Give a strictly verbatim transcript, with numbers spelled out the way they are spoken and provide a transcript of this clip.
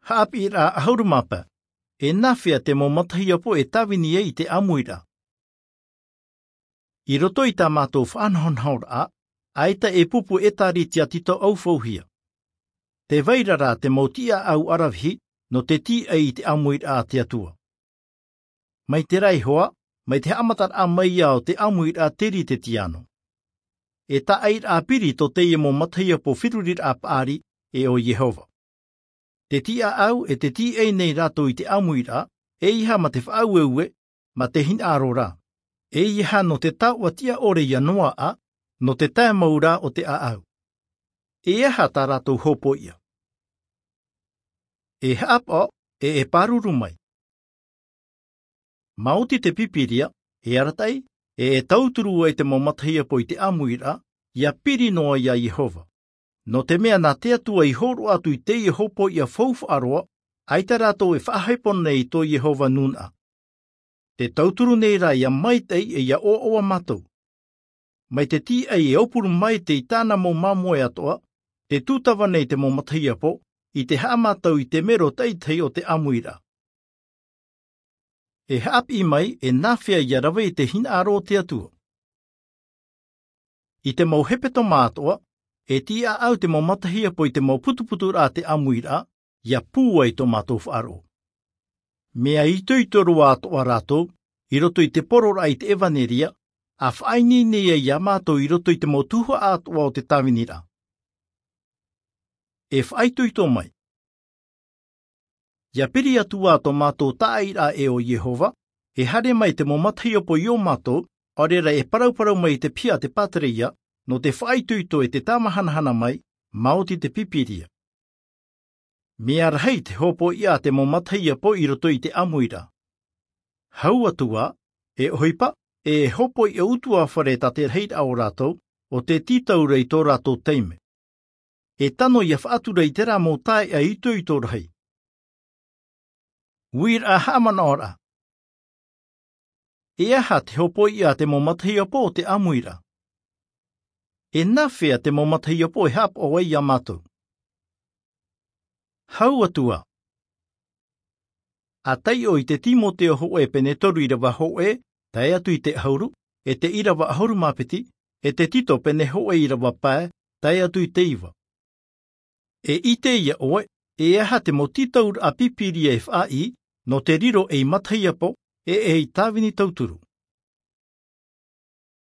Haʻapiʻiraʻa ʻahuru mā pae. E nāfea te mau matahiapo e tāvini ai i te ʻāmuiraʻa? I roto i tā mātou faʻanahonahoraʻa, ʻaita e pupu ʻētārētia tito ʻaufauhia. Tē vai ra rā te mau tiʻaʻau ʻaravihi nō te tīaʻi i te ʻāmuiraʻa a te Atua. Mai te raihoa, mai te haʻamataraʻa mai ia o te ʻāmuiraʻa te rite tiano. E tāʻairaʻa piri tō teie mau matahiapo feruriraʻa paʻari, e ʻo Iehova. Te tiʻaʻau e te tīaʻi nei rātou i te ʻāmuiraʻa, ʻeiaha mā te faʻaueue, mā te hinaʻaro rā. ʻEiaha nō te taoʻa tiʻa ʻore ia Noaʻa, nō te tae mau rā o te ʻāʻau. E aha tā rātou hōpoiʻa? E haʻapaʻo, e e pāruru mai. Maoti te Pīpīria, e arataʻi, e e tauturu ai te mau matahiapo i te ʻāmuiraʻa, ia piri noa ia Iehova. Nō te mea nā te Atua i hōroʻa atu i teie hōpoiʻa faufaʻa roa, ʻaita rātou e faʻahepo nei i tō Iehova nūnaʻa. Te tauturu nei rā ia maitaʻi e ia ʻoaʻoa mātou. Mai te tīaʻi e aupuru mai te i tāna mau māmoe atoʻa, te tūtava nei te mau matahiapo, i te haʻamātau i te mero taʻitahi o te ʻāmuiraʻa. E haʻapiʻi mai, e nāfea ia rave i te hinaʻaro o te Atua? I te mau hepetoma atoʻa, e tiʻaʻau te mau matahiapo i te mau putuputuraʻa a te ʻāmuiraʻa, ia pūai tō mātou faʻaroʻo. Mea itoito roa atoʻa rātou, i roto i te pororaʻa i te ʻevaneria, a faʻaineine ai ia mātou i roto i te mau tuhaʻa atoʻa o te tāviniraʻa. E faʻaitoito mai. Ia piri atu ā tō mātou tāʻairaʻa e ʻo Iehova, e haere mai te mau matahiapo i ō mātou, ʻaore rā e parauparau mai i te piha a te pātereia, nō te faʻaitoito e te tāmahanahana mai, maoti te Pīpīria. Mea rahi te hōpoiʻa a te mau matahiapo i roto i te ʻāmuiraʻa. Hau atu ā, e ʻohipa, e hōpoiʻa utuafare tā te rahiraʻa o rātou, ʻo te tītauraʻa i tō rātou taime. E tano ia faʻatura i terā mau taeaʻe itoito rahi. Uiraʻa haʻamanaʻoraʻa. E aha te hōpoiʻa a te mau matahiapo o te ʻāmuiraʻa? E nāfea te mau matahiapo e haʻapaʻo ai ia mātou? Hau atu ā. A taiʻo i te Timoteo hōʻē pene toru ʻīrava hōʻē, tae atu i te ʻahuru, e te ʻīrava ʻahuru mā piti, e te Tito pene hōʻē ʻīrava pae, tae atu i te iva. E ʻite ia ʻoe, e aha te mau tītauraʻa Pīpīria e faʻaʻī, nō te riro ei matahiapo, e ei tāvini tauturu.